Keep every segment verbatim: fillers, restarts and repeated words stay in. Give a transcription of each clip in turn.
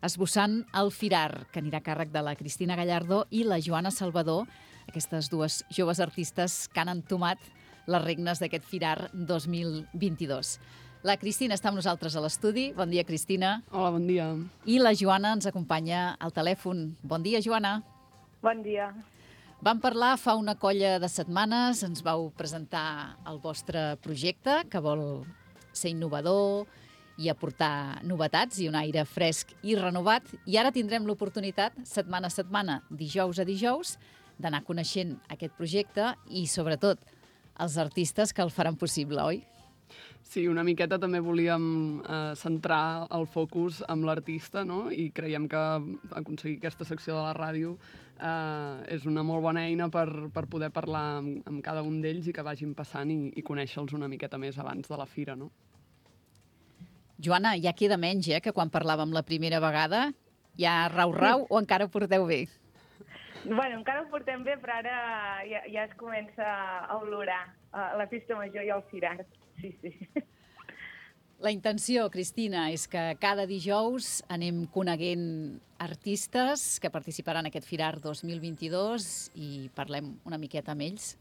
esbossant el Firar, que anirà a càrrec de la Cristina Gallardo i la Joana Salvador, aquestes dues joves artistes que han entomat les regnes d'aquest Firar dos mil vint-i-dos. La Cristina està amb nosaltres a l'estudi. Bon dia, Cristina. Hola, bon dia. I la Joana ens acompanya al telèfon. Bon dia, Joana. Bon dia. Vam parlar fa una colla de setmanes, ens vau presentar el vostre projecte, que vol ser innovador i aportar novetats i un aire fresc i renovat. I ara tindrem l'oportunitat, setmana a setmana, dijous a dijous, d'anar coneixent aquest projecte i, sobretot, els artistes que el faran possible, oi? Sí, una miqueta també volíem eh, centrar el focus amb l'artista, no? I creiem que aconseguir aquesta secció de la ràdio eh, és una molt bona eina per, per poder parlar amb, amb cada un d'ells i que vagin passant i, i conèixer-los una miqueta més abans de la fira, no? Joana, ja queda menys, eh, que quan parlàvem la primera vegada. Ja rau-rau o encara ho porteu bé? Bueno, encara ho portem bé, però ara ja, ja es comença a olorar uh, la festa major i el Firar. Sí, sí. La intenció, Cristina, és que cada dijous anem coneguent artistes que participaran en aquest Firar dos mil vint-i-dos i parlem una miqueta amb ells.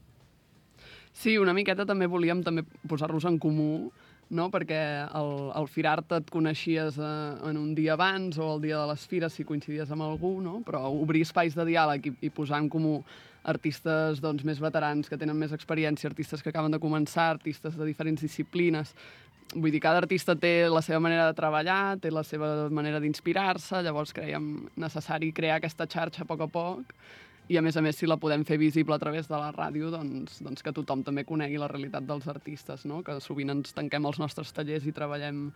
Sí, una miqueta també volíem també posar-los en comú, no? Perquè el, el Firart et coneixies eh, en un dia abans o el dia de les fires si coincidies amb algú, no? Però obrir espais de diàleg i, i posar en comú artistes doncs, més veterans que tenen més experiència, artistes que acaben de començar, artistes de diferents disciplines. Vull dir, cada artista té la seva manera de treballar, té la seva manera d'inspirar-se, llavors creiem necessari crear aquesta xarxa a poc a poc i, a més a més, si la podem fer visible a través de la ràdio, doncs, doncs que tothom també conegui la realitat dels artistes, no? Que sovint ens tanquem als nostres tallers i treballem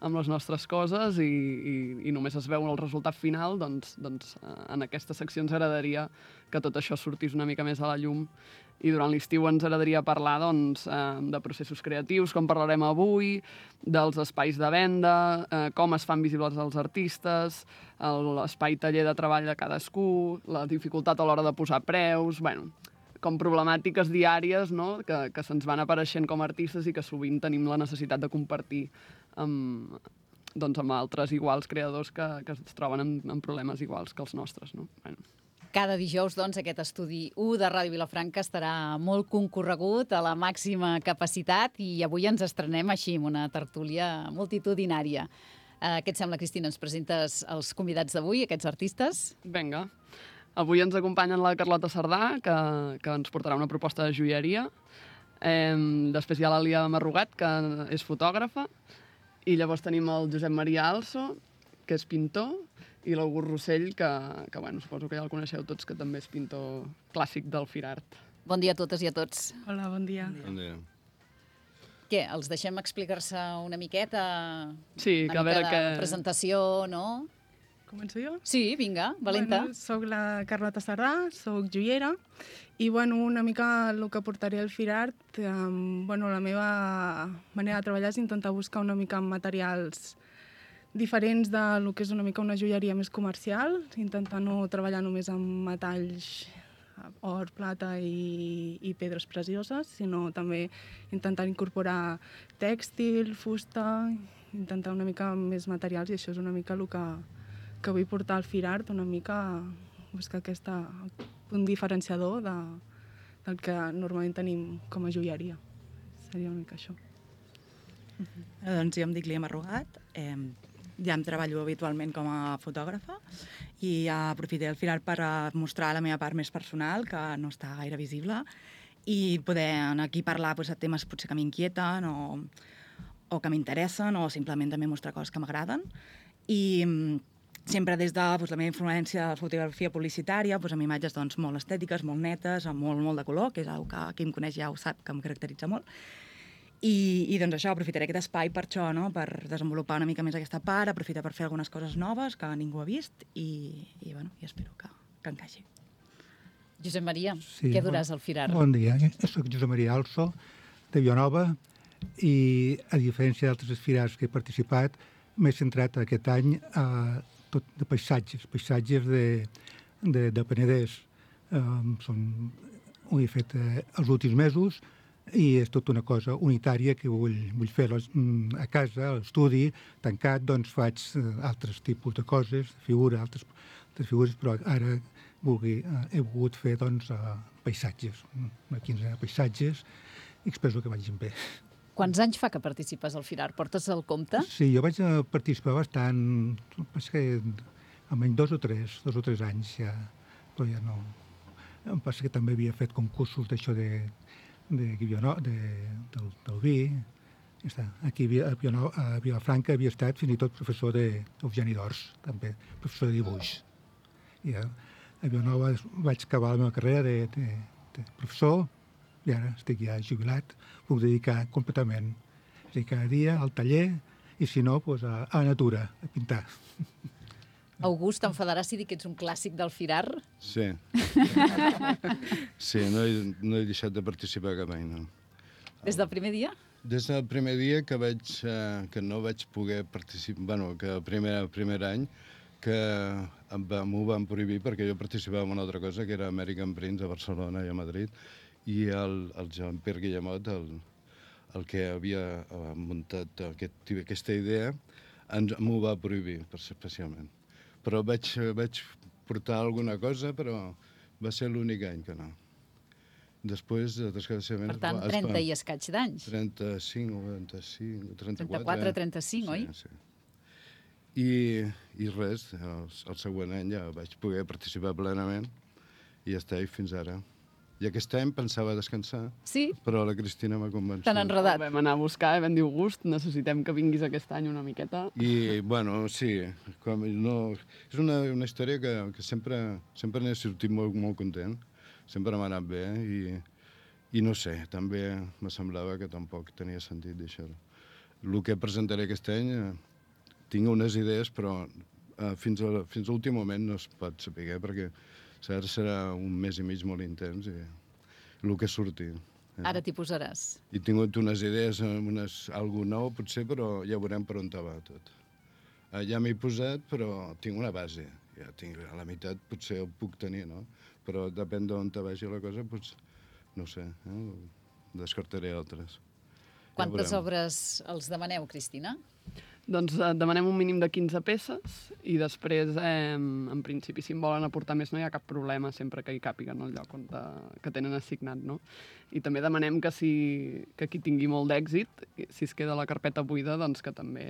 amb les nostres coses i, i, i només es veu el resultat final, doncs, doncs en aquesta secció ens agradaria que tot això sortís una mica més a la llum. I durant l'estiu ens agradaria parlar doncs, eh, de processos creatius, com parlarem avui, dels espais de venda, eh, com es fan visibles els artistes, l'espai taller de treball de cadascú, la dificultat a l'hora de posar preus, bueno, com problemàtiques diàries, no? que, que se'ns van apareixent com a artistes i que sovint tenim la necessitat de compartir amb, doncs, amb altres iguals creadors que, que es troben amb, amb problemes iguals que els nostres. No? Bueno. Cada dijous, doncs, aquest estudi u de Ràdio Vilafranca estarà molt concorregut a la màxima capacitat i avui ens estrenem així, amb una tertúlia multitudinària. Eh, què et sembla, Cristina? Ens presentes els convidats d'avui, aquests artistes? Vinga. Avui ens acompanyen la Carlota Cerdà, que, que ens portarà una proposta de joieria. Eh, després hi ha l'Alia Marrugat, que és fotògrafa. I llavors tenim el Josep Maria Also, que és pintor, i l'August Rossell, que, que bueno, suposo que ja el coneixeu tots, que també és pintor clàssic del Firart. Bon dia a totes i a tots. Hola, bon dia. Bon dia. Què, els deixem explicar-se una miqueta? Sí, una que a veure mica de que... presentació, no? Començo jo? Sí, vinga, valenta. Bueno, soc la Carlota Cerdà, soc joiera, i bueno, una mica el que portaré al Firart, eh, bueno, la meva manera de treballar és intentar buscar una mica materials diferents del que és una mica una joieria més comercial, intentar no treballar només amb metalls, or, plata i, i pedres precioses, sinó també intentar incorporar tèxtil, fusta, intentar una mica més materials, i això és una mica el que, que vull portar al Firart, una mica buscar aquest punt diferenciador de, del que normalment tenim com a joieria. Seria una mica això. Uh-huh. Doncs jo em dic Lia Marrugat, eh, ja em treballo habitualment com a fotògrafa i aprofitaré el Firart per mostrar la meva part més personal, que no està gaire visible, i poder aquí parlar doncs, de temes potser que m'inquieten o, o que m'interessen, o simplement també mostrar coses que m'agraden. I sempre des de doncs, la meva influència de fotografia publicitària, doncs, amb imatges doncs, molt estètiques, molt netes, amb molt, molt de color, que és una que qui em coneix ja ho sap, que em caracteritza molt. I, i doncs això, aprofitaré aquest espai per això, no? Per desenvolupar una mica més aquesta part, aprofitar per fer algunes coses noves que ningú ha vist i, i, bueno, i espero que, que encaixi. Josep Maria, sí, què duràs al Firart? Bon dia, soc Josep Maria Also, de Vilanova, i a diferència d'altres firars que he participat, m'he centrat aquest any a tot de paisatges, paisatges de, de, de Penedès. Um, són, ho he fet eh, els últims mesos, i és tota una cosa unitària que vull, vull fer a casa, a l'estudi, tancat, doncs faig altres tipus de coses, figura, altres, altres figures, però ara vulgui, he volgut fer doncs, paisatges, una quinzena de paisatges, i espero que vagin bé. Quants anys fa que participes al Firar? Portes el compte? Sí, jo vaig participar bastant, és que almenys dos o tres, dos o tres anys ja, però ja no. Em passa que també havia fet concursos d'això de, de, de, del, del vi. Ja està. Aquí a, a Vilafranca havia estat fins i tot professor d'Eugeni d'Ors, també, professor de dibuix. I a, a Vilanova vaig acabar la meva carrera de, de, de professor, i ara estic ja jubilat, puc dedicar completament. És a dir, cada dia al taller, i si no, doncs a, a la natura, a pintar. August, t'enfadaràs si dic que ets un clàssic del Firar? Sí. Sí, no he, no he deixat de participar cap any, no. Des del primer dia? Des del primer dia que vaig, eh, que no vaig poder participar, bueno, que el primer, primer any que m'ho van prohibir perquè jo participava en una altra cosa, que era American Prints a Barcelona i a Madrid, i el, el Jean-Pierre Guillemot, el, el que havia muntat aquest, aquesta idea, ens, m'ho va prohibir, especialment. Però vaig, vaig portar alguna cosa, però va ser l'únic any que no. Després, desgraciadament... Per tant, trenta i escaig d'anys. trenta-cinc o trenta-cinc, trenta-quatre... trenta-quatre, trenta-cinc, oi? Sí, sí. I, i res, el, el següent any ja vaig poder participar plenament i ja està, i fins ara. I aquest any pensava descansar, sí? Però la Cristina m'ha convençut. T'han enredat. Vam anar a buscar i vam dir, August, necessitem que vinguis aquest any una miqueta. I, bueno, sí, com, no, és una, una història que, que sempre, sempre n'he sortit molt, molt content, sempre m'ha anat bé, i, i no sé, també me semblava que tampoc tenia sentit deixar-ho. El que presentaré aquest any, eh, tinc unes idees, però eh, fins a, fins a l'últim moment no es pot saber, perquè ara serà un mes i mig molt intens i el que surti. Eh? Ara t'hi posaràs. He tingut unes idees, unes, algú nou potser, però ja veurem per on va tot. Eh, ja m'he posat, però tinc una base. Ja tinc, a la meitat potser ho puc tenir, no? Però depèn d'on te vagi la cosa, doncs, no sé, eh? Descartaré altres. Quantes ja obres els demaneu, Cristina? Doncs eh, demanem un mínim de quinze peces i després, eh, en principi, si en volen aportar més no hi ha cap problema sempre que hi càpiguen al lloc on de, que tenen assignat, no? I també demanem que, si, que qui tingui molt d'èxit, si es queda la carpeta buida, doncs que també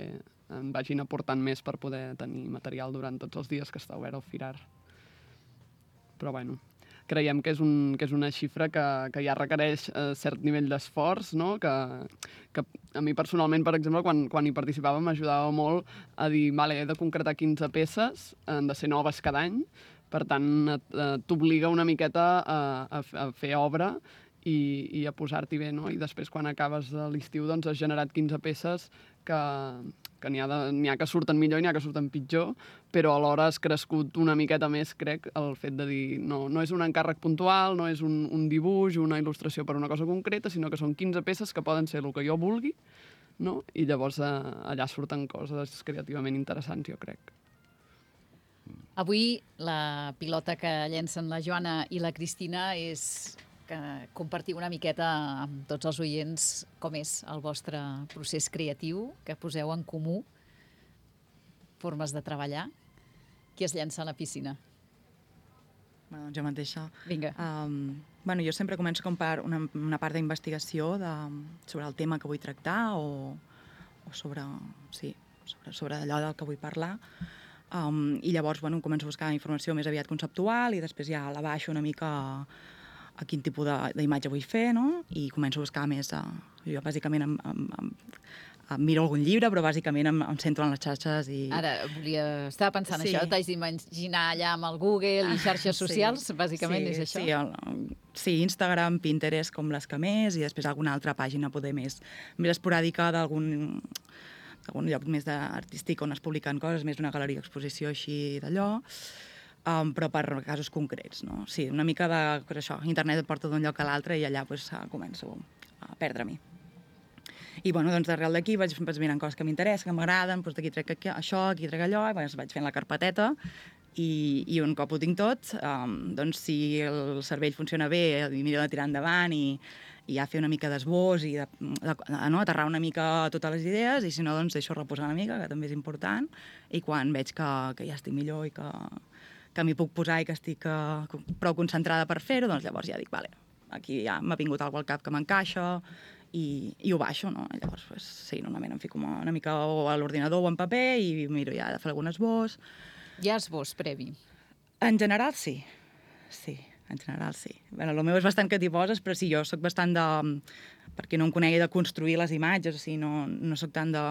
en vagin aportant més per poder tenir material durant tots els dies que està obert el Firar. Però, bueno, creiem que és, un, que és una xifra que, que ja requereix eh, cert nivell d'esforç, no? que, que a mi personalment, per exemple, quan, quan hi participava m'ajudava molt a dir, vale, he de concretar quinze peces, han de ser noves cada any, per tant, eh, t'obliga una miqueta a, a, a fer obra i, i a posar-t'hi bé, no? I després, quan acabes l'estiu, doncs has generat quinze peces que, que n'hi ha, de, n'hi ha que surten millor i n'hi ha que surten pitjor, però alhora has crescut una miqueta més, crec, el fet de dir no, no és un encàrrec puntual, no és un, un dibuix, una il·lustració per una cosa concreta, sinó que són quinze peces que poden ser el que jo vulgui, no? I llavors eh, allà surten coses creativament interessants, jo crec. Avui la pilota que llencen la Joana i la Cristina és que compartiu una miqueta amb tots els oients com és el vostre procés creatiu, que poseu en comú formes de treballar. Qui es llença a la piscina? Bueno, doncs jo mateixa. Vinga. Um, bueno, jo sempre començo com per una, una part d'investigació de, sobre el tema que vull tractar o, o sobre, sí, sobre, sobre allò del que vull parlar. Um, I llavors bueno, començo a buscar informació més aviat conceptual i després ja la baixo una mica a, a quin tipus d'imatge vull fer, no? I començo a buscar més... A, jo bàsicament em, em, em, em miro algun llibre, però bàsicament em, em centro en les xarxes i... Ara, volia... estava pensant sí. això, t'haig d'imaginar allà amb el Google i xarxes socials, sí. bàsicament sí, és això? Sí, el, sí, Instagram, Pinterest com les que més i després alguna altra pàgina poder més, més esporàdica d'algun algun lloc més artístic on es publiquen coses, més una galeria d'exposició així d'allò, um, però per casos concrets, no? Sí, una mica de, pues això, internet et porta d'un lloc a l'altre i allà pues, començo a perdre-m'hi. I bueno, doncs d'arrel d'aquí vaig, vaig mirant coses que m'interessen, que m'agraden, doncs d'aquí trec això, aquí trec allò, i doncs vaig fent la carpeteta I, i un cop ho tinc tot, um, doncs si el cervell funciona bé, i miro de tirar endavant i, i ja fer una mica d'esbós i de, de, de, no, aterrar una mica totes les idees, i si no, doncs deixo reposar una mica, que també és important, i quan veig que, que ja estic millor i que, que m'hi puc posar i que estic uh, prou concentrada per fer-ho, doncs llavors ja dic, vale, aquí ja m'ha vingut algú al cap que m'encaixa, i, i ho baixo, no? I llavors, pues, sí, normalment em fico una mica o a l'ordinador o en paper i miro ja de fer algun esbós. Hi ha esbós previ? En general, sí. Sí, en general, sí. Bé, el meu és bastant que t'hi poses, però sí, jo sóc bastant de... perquè no em conegui, de construir les imatges, o sigui, no, no sóc tant de,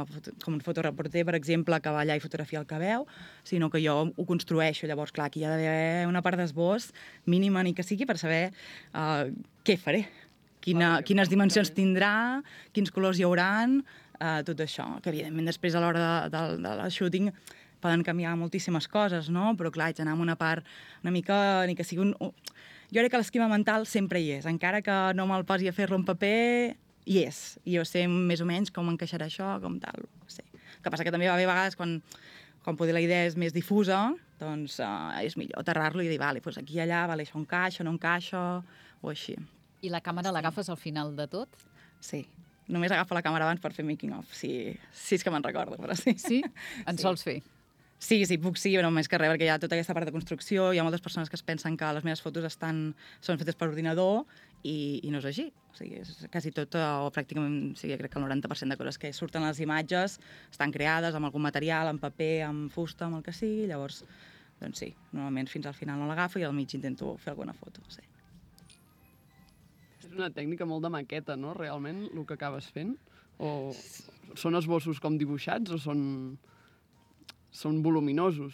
com un fotoreporter, per exemple, que va allà i fotografia el que veu, sinó que jo ho construeixo. Llavors, clar, aquí hi ha d'haver una part d'esbós mínima ni que sigui per saber uh, què faré, quina, ah, quines dimensions tindrà, quins colors hi hauran, uh, tot això, que evidentment després a l'hora de, de, de la shooting poden canviar moltíssimes coses, no? Però clar, haig d'anar amb una part una mica, ni que sigui un... Jo crec que l'esquema mental sempre hi és, encara que no me'l posi a fer-lo en paper, hi és. I jo sé més o menys com encaixarà això, com tal. Sí. El que passa que també va haver vegades quan, quan poder la idea és més difusa, doncs uh, és millor aterrar-lo i dir, vale, doncs aquí i allà, vale, això encaixa, no encaixa, o així. I la càmera l'agafes al final de tot? Sí. Només agafo la càmera abans per fer making of, si, si és que me'n recordo, però sí. Sí? En sí. Sols fer? Sí, sí, puc sí, però més que res, perquè hi ha tota aquesta part de construcció, hi ha moltes persones que es pensen que les meves fotos estan, són fetes per ordinador i, i no és així. O sigui, és quasi tot, o pràcticament, sí, crec que el noranta per cent de coses que surten a les imatges estan creades amb algun material, amb paper, amb fusta, amb el que sigui, llavors, doncs sí, normalment fins al final no l'agafo i al mig intento fer alguna foto, sí. És una tècnica molt de maqueta, no?, realment, el que acabes fent? O són esbossos com dibuixats o són... són voluminosos?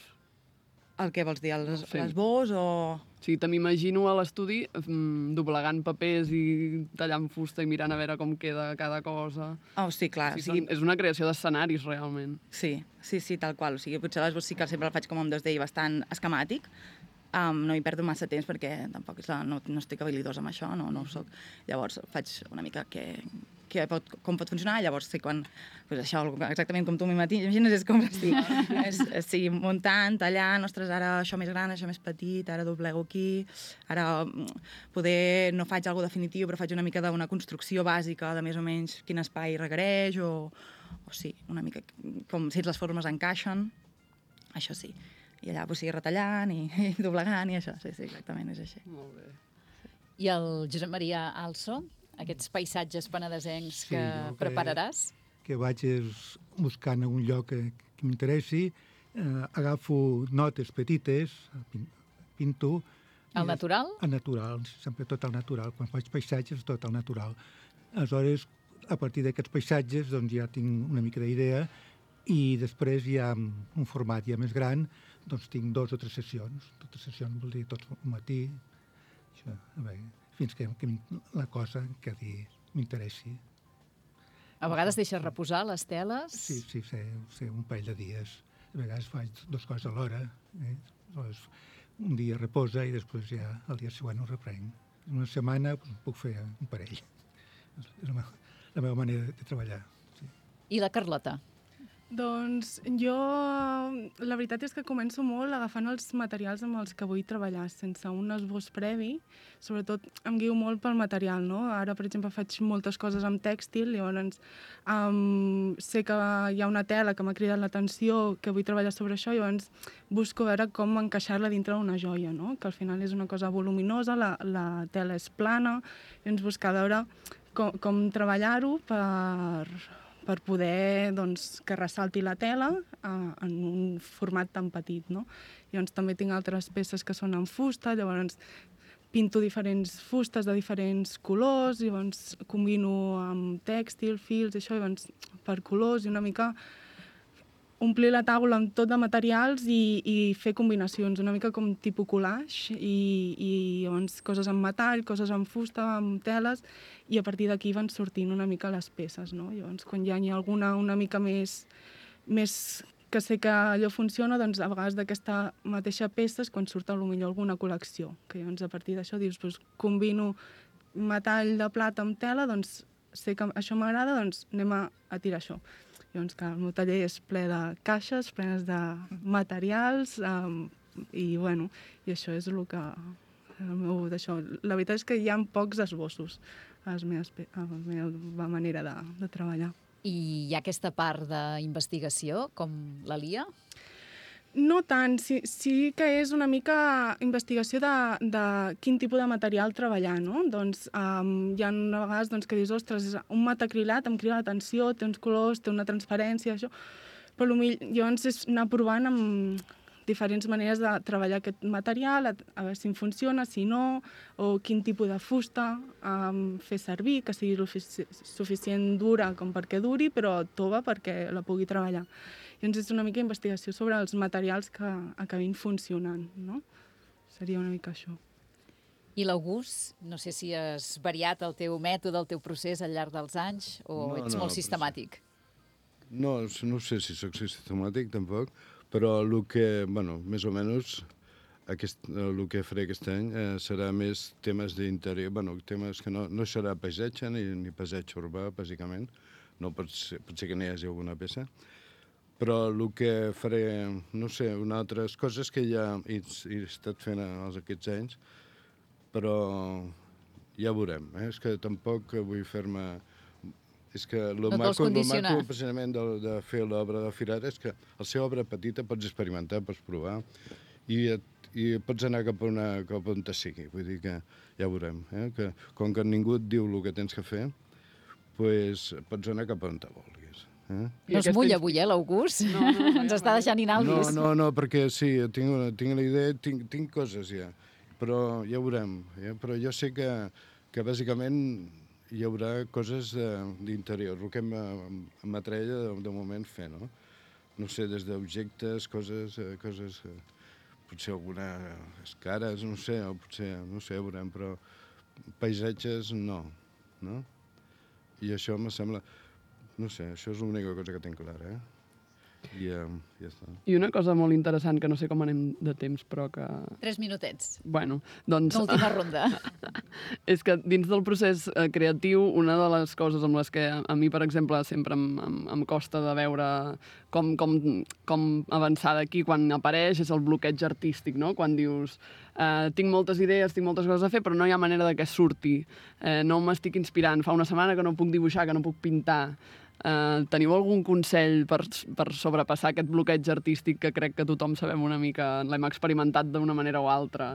El què vols dir, l'esbós sí. o...? Sí, te m'imagino a l'estudi mm, doblegant papers i tallant fusta i mirant a veure com queda cada cosa. Oh, sí, clar. O sigui, o sigui... són, és una creació d'escenaris, realment. Sí, sí, sí, tal qual. O sigui, potser l'esbós sí que sempre el faig com en dos D i bastant esquemàtic. Um, no hi perdo massa temps perquè tampoc és la, no, no estic habilidosa amb això, no, no ho soc. Llavors faig una mica què, què pot, com pot funcionar, llavors sé quan... Pues això, exactament com tu m'imagines, és com estic és, és, sí, muntant, tallant, ostres, ara això més gran, això més petit, ara doblego aquí, ara poder no faig alguna definitiu, però faig una mica d'una construcció bàsica de més o menys quin espai requereix, o, o sí, una mica com si les formes encaixen, això sí. I allà pues, sigui retallant i, i doblegant i això, sí, sí, exactament, és així. Molt bé. Sí. I el Josep Maria Also, aquests paisatges penedesencs sí, que, que prepararàs? Que vaig buscant algun lloc que, que m'interessi, eh, agafo notes petites, pinto... Al natural? Al natural, sempre tot al natural. Quan faig paisatges, tot al natural. Aleshores, a partir d'aquests paisatges, doncs ja tinc una mica d'idea i després ja un format ja més gran, doncs tinc dos o tres sessions. Totes sessions vol dir tot un matí, això, a veure, fins que, que la cosa que m'interessi. A vegades deixes reposar les teles? Sí, sí, sé, sé un parell de dies. A vegades faig dues coses alhora. Eh? Aleshores, un dia reposa i després ja el dia següent ho reprenc. Una setmana doncs, puc fer un parell. És la meva, la meva manera de treballar. Sí. I la Carlota? Doncs jo, la veritat és que començo molt agafant els materials amb els que vull treballar, sense un esbós previ. Sobretot em guio molt pel material, no? Ara, per exemple, faig moltes coses amb tèxtil, llavors um, sé que hi ha una tela que m'ha cridat l'atenció, que vull treballar sobre això, llavors busco veure com encaixar-la dintre d'una joia, no? Que al final és una cosa voluminosa, la, la tela és plana, llavors buscar veure com, com treballar-ho per... per poder doncs, que ressalti la tela uh, en un format tan petit, no? Llavors també tinc altres peces que són en fusta, llavors pinto diferents fustes de diferents colors, llavors combino amb tèxtil, fils, això, llavors per colors i una mica omplir la taula amb tot de materials i, i fer combinacions, una mica com tipus collage, i, i llavors coses en metall, coses en fusta, amb teles, i a partir d'aquí van sortint una mica les peces, no? Llavors, quan ja n'hi ha alguna una mica més, més que sé que allò funciona, doncs a vegades d'aquesta mateixa peça és quan surt potser alguna col·lecció, que llavors a partir d'això dius, doncs combino metall de plata amb tela, doncs sé que això m'agrada, doncs anem a, a tirar això. Llavors, que el meu taller és ple de caixes, plenes de materials, um, I, bueno, i això és el que... El meu, d'això. La veritat és que hi ha pocs esbossos a la meva, a la meva manera de, de treballar. I hi ha aquesta part d'investigació, com la Lia? No tant, sí, sí que és una mica investigació de, de quin tipus de material treballar, no? Doncs um, hi ha una vegades doncs, que dius, ostres, un metacrilat em crida l'atenció, té uns colors, té una transparència, això, però potser llavors és anar provant amb diferents maneres de treballar aquest material, a, a veure si em funciona, si no, o quin tipus de fusta um, fer servir, que sigui suficient dura com perquè duri, però tova perquè la pugui treballar. Llavors és una mica investigació sobre els materials que acabin funcionant, no? Seria una mica això. I l'August, no sé si has variat el teu mètode, el teu procés al llarg dels anys, o no, ets no, molt sistemàtic? No, no sé si soc sistemàtic, tampoc, però el que, bueno, més o menys, aquest, el que faré aquest any eh, serà més temes d'interior, bueno, temes que no, no serà paisatge ni, ni paisatge urbà, bàsicament, no pot ser, pot ser que n'hi hagi alguna peça, però el que faré, no sé, unes altres coses que ja he, he estat fent els aquests anys, però ja veurem, eh? És que tampoc vull fer-me... És que el no maco, el maco precisament de, de fer l'obra de Firar és que al ser obra petita pots experimentar, pots provar i, et, i pots anar cap a, una, cap a on te sigui. Vull dir que ja veurem. Eh? Que, com que ningú et diu el que tens que fer, pues, pots anar cap a on te vulguis. Eh? No es mulla avui, eh, l'August? No, no, no, Ens està deixant inàlvis. No, no, no, perquè sí, tinc, una, tinc la idea, tinc, tinc coses ja, però ja veurem. Eh? Però jo sé que, que bàsicament hi haurà coses d'interior, el que m'atreia de, de moment fer, no? No sé, des d'objectes, coses, coses, potser algunes cares, no sé, o potser, no sé, veurem, però paisatges no, no? I això me sembla, no sé, això és l'única cosa que tinc clara, eh? I uh, ja està. I una cosa molt interessant, que no sé com anem de temps, però que... Tres minutets. Bueno, doncs... L'última ronda. És que dins del procés eh, creatiu, una de les coses amb les que a, a mi, per exemple, sempre em, em, em costa de veure com, com, com avançar d'aquí quan apareix és el bloqueig artístic, no? Quan dius, eh, tinc moltes idees, tinc moltes coses a fer, però no hi ha manera de que surti. Eh, no m'estic inspirant. Fa una setmana que no puc dibuixar, que no puc pintar. Uh, teniu algun consell per, per sobrepassar aquest bloqueig artístic que crec que tothom sabem una mica, l'hem experimentat d'una manera o altra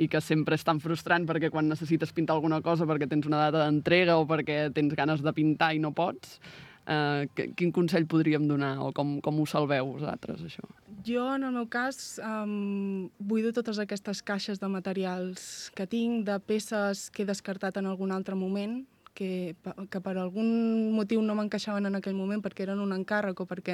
i que sempre és tan frustrant perquè quan necessites pintar alguna cosa perquè tens una data d'entrega o perquè tens ganes de pintar i no pots, uh, quin consell podríem donar o com, com ho salveu vosaltres, això? Jo, en el meu cas, um, buido totes aquestes caixes de materials que tinc, de peces que he descartat en algun altre moment, que, que per algun motiu no m'encaixaven en aquell moment perquè eren un encàrrec o perquè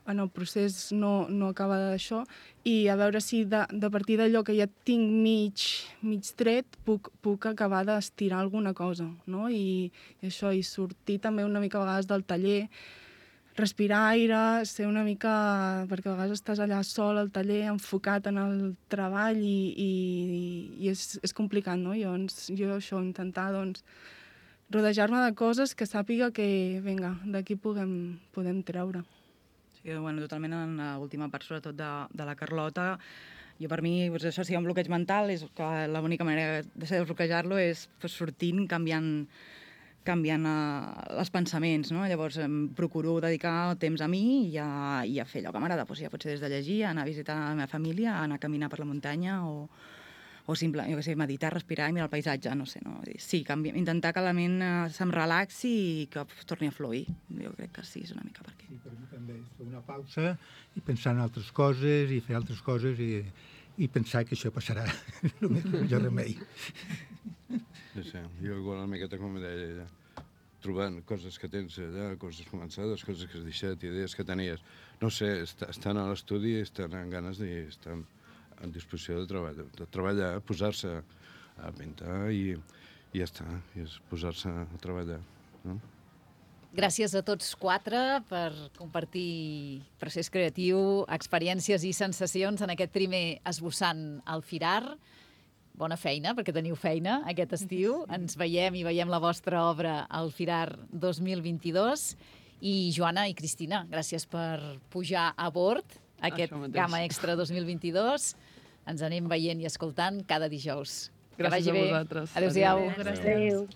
en el procés no, no acaba d'això, i a veure si de, de partir d'allò que ja tinc mig, mig tret puc, puc acabar d'estirar alguna cosa, no? I, i això, i sortir també una mica a vegades del taller, respirar aire, ser una mica... perquè a vegades estàs allà sol al taller, enfocat en el treball i, i, i és, és complicat, no? Llavors, jo això, intentar, doncs, rodejar-me de coses que sàpiga que, vinga, d'aquí podem, podem treure. Sí, bueno, totalment en l'última part, sobretot de, de la Carlota, jo per mi, doncs això sí, un bloqueig mental, és que l'única manera de desbloquejar-lo és pues, sortint, canviant, canviant uh, els pensaments, no? Llavors em procuro dedicar temps a mi i a, i a fer allò que m'agrada, pues, ja pot ser des de llegir, anar a visitar la meva família, anar a caminar per la muntanya o... o simple, jo què sé, meditar, respirar i mirar el paisatge, no sé, no? Sí, canvi, intentar que la ment eh, se'm relaxi i que torni a fluir. Jo crec que sí, és una mica per aquí. Sí, per mi també és fer una pausa i pensar en altres coses i fer altres coses i, i pensar que això passarà. El millor remei. Sí, sí, jo igual una miqueta com deia ella, trobant coses que tens allà, coses començades, coses que has deixat, idees que tenies. No sé, est estan a l'estudi i estan amb ganes d'estar en disposició de treballar, de treballar, posar-se a pintar i, i ja està, i és posar-se a treballar. No? Gràcies a tots quatre per compartir procés creatiu, experiències i sensacions en aquest primer esbossant al Firar. Bona feina, perquè teniu feina aquest estiu. Ens veiem i veiem la vostra obra al Firar dos mil vint-i-dos. I Joana i Cristina, gràcies per pujar a bord aquest Això mateix. Gamma Extra dos mil vint-i-dos. Ens anem veient i escoltant cada dijous. Gràcies que vagi a bé. vosaltres. Adéu-siau. Adéu. Gràcies. Adéu.